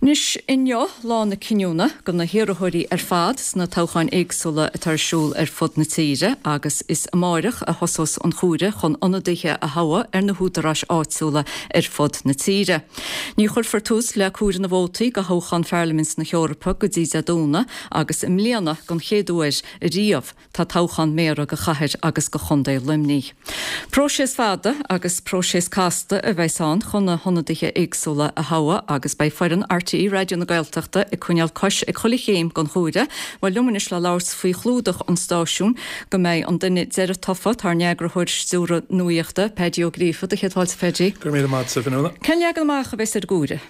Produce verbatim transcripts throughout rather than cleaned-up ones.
Anois inniu lá na cinniúna do na hiarrthóirí ar fad sna toghcháin éagsúla atá ar siúl ar fud na tíre agus is amárach a thosós an comhaireamh chun ionadaithe a thoghadh ar na húdaráis áitiúla ar fud na tíre. Ní chuirfear tús le comhaireamh na vótaí do thoghchán Pharlaimint na hEorpa go dtí Dé Domhnaigh agus i mbliana don chéad uair riamh tá toghchán méara do chathair agus do chontae Luimnigh. Próiseas fada agus próiseas casta a bheas ann chun na hionadaithe éagsúla a thoghadh agus beidh foireann RTÉ Raidió na Gaeltachta ag coinneáil cois ag chuile chéim den chomhaireamh. Bhuel liom anois le labhairt faoi chlúdach an stáisiúin go mbeidh an duine deiridh tofa, tá ár n-eagarthóir stiúrtha nuachta, Paddy Ó Gríofa, do chéad fáilte Paddy. Go raibh míle maith agat, a Fhionnuala. Cén leagan amach a bheas ar an gcomhaireamh?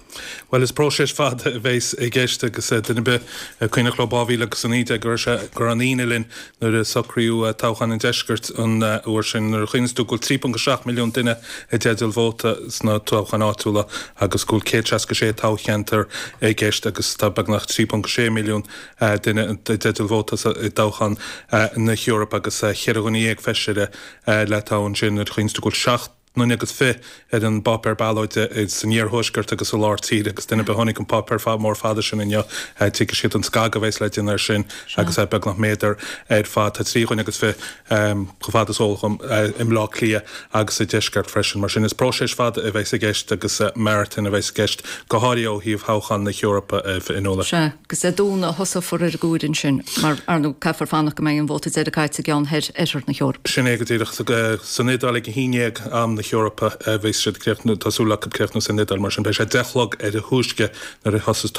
Bhuel is próiseas fada a bheas i gceist agus duine ar bith cuimhneach leo dhá mhíle agus a naoi déag go raibh sé go raibh an ionadh linn nuair a socraíodh toghchán an deiscirt an uair sin nuair a chuimhníos tú go bhfuil trí ponc a seacht milliún duine i dteideal vóta sna toghcháin áitiúla agus go bhfuil céad seasca sé toghcheantar i gceist agus tá beagnach trí ponc sé milliún duine i dteideal vóta i dtoghchán na hEorpa agus cheithre dhuine dhéag feisire le toghadh ansin nuair a chuimhníos tú go bhfuil seacht nduine agus fiche ar an bpáipéar ballóide san iarthuaisceart agus i lár tíre agus duine ar bith a chonaic an páipéar mór fada sin inniu tuigfidh siad an scagadh a bheas le déanamh air sin agus é beagnach méadar ar fad. Tá trí dhuine agus fiche chomh fada is eol dhom i mBleá Cliath agus sa deisceart freisin. Mar sin is próiseas fada a bheas i gceist agus maratón a bheas i gceist go háirithe ó thaobh thoghchán na hEorpa a Fhionnuala. Sea, agus Dé Domhnaigh a thosófar ar an gcomhaireamh ansin mar ar ndóigh caithfear fanacht go mbeidh an vóta deiridh caite i gceann thoir oirthear na hEorpa. Sin é go díreach. San Iodáil ag a haon déag am na hEorpa a bheas siad ag críochnú, tá súil acu críochnú san Iodáil, mar sin beidh sé deich a chlog ar a thúisce nuair a thosós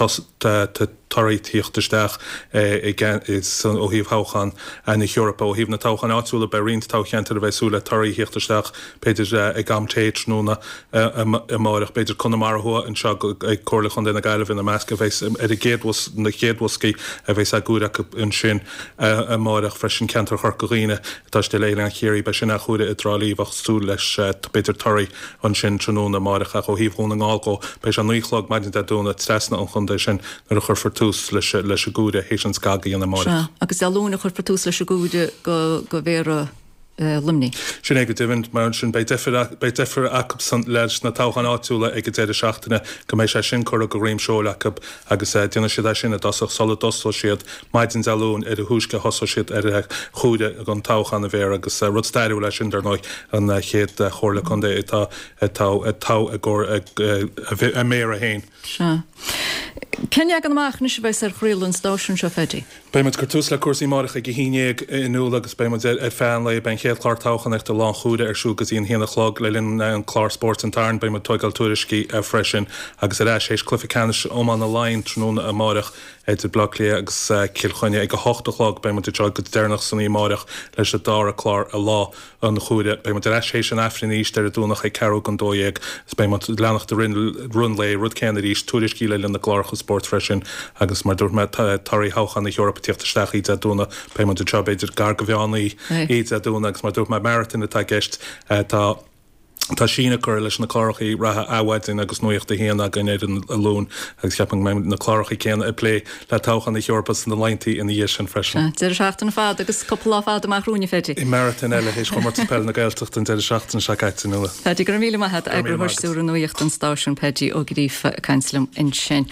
torthaí tíocht isteach ó thaobh thoghchán na hEorpa. Ó thaobh na toghcháin áitiúla beidh roinnt toghcheantar a bheidh súil le torthaí a thíocht isteach b'fhéidir ag am tae tráthnóna amáireach, b'fhéidir Conamara Thuaidh anseo ag Comhairle Chontae na Gaillimhe ina measc a bheas ar an gcéad na chéad bhoscaí a bheas á gcomhaireamh acu ansin amáireach freisin ceantar Chorca Dhuibhne atá istigh le Oileán Chiarraí beidh sin á chomhaireamh i dTrá Lí bheadh súil leis b'fhéidir torthaí ansin tráthnóna amáireach ach ó thaobh Dhún na nGall dhó beidh sé naoi a chlog maidin Dé Domhnaigh trasna an chontae sin nuair a chuirfear tús leis leis an gcomhaireamh théis an scagadh a dhéanamh amáireach. Sea, agus Dé Luain a chuirfear tús leis an gcomhaireamh go go mhéara Luimnigh. Sin é go deimhin, mar sin beidh deifir beidh deifir acusan leis na toghcháin áitiúla ag an deireadh seachtaine go mbeidh sé sin curtha go dhroim seoil acu agus déanfaidh siad é sin i dtosach sula dtosóidh siad maidin Dé Luain ar a thúisce a thosóidh siad ar chomhaireamh don toghchán a mhéara agus rud stairiúil é sin dar ndóigh an chéad chomhairle contae atá atá tofa i gcomhair a méara féin. Sea. Cén leagan amach anois a bheas ar chraoladh an stáisiúin seo, Phaddy? Beidh muid ag cur tús le cúrsaí amáireach ag a haon déag a Fhionnuala agus beidh muid ar feadh an lae. Beidh an chéad chlár toghchánaíochta Lá an Chomhairimh ar siúl go dtí an haon a chlog. Le linn an clár spóirt an tSathairn beidh muid ag tóigeáil tuairiscí freisin agus ar ais théis cluiche ceannais iomána Laighean tráthnóna amáireach idir Bleá Cliath agus Cill Chainnigh ag a hocht a chlog. Beidh muid anseo go deireanach san oíche amáireach leis an dara clár Lá an Chomhairimh. Beidh muid ar ais théis an Aifrinn arís ar an Domhnach ag ceathrú don dó dhéag agus beidh muid ag leanacht i rith an lae, rud céanna arís, tuairiscí le linn na gcláracha spóirt freisin agus mar dúirt mé, torthaí thoghchán na hEorpa ag tíocht isteach oíche Dé Domhnaigh. Beidh muid anseo b'fhéidir gar go mheán oíche Dé Domhnaigh agus mar dúirt mé, maratón atá i gceist. Tá. Tá síneadh curtha leis na cláracha reatha Adhmhaidin agus Nuacht a hAon againn ar an Luan agus ceapaim go mbeidh na cláracha céanna ag plé le toghchán na hEorpa sna laethanta ina dhiaidh sin freisin. Sea, deireadh seachtaine fada agus cúpla lá fada amach romhainn, a Phaddy. Marathon eile théis Chomórtas Peile na Gaeltachta an deireadh seachtaine seo caite, a Fhionnuala. Phaddy, go raibh míle maith agat, Eagarthóir Stiúrtha Nuachta an stáisiúin, Paddy Ó Gríofa ag caint liom ansin.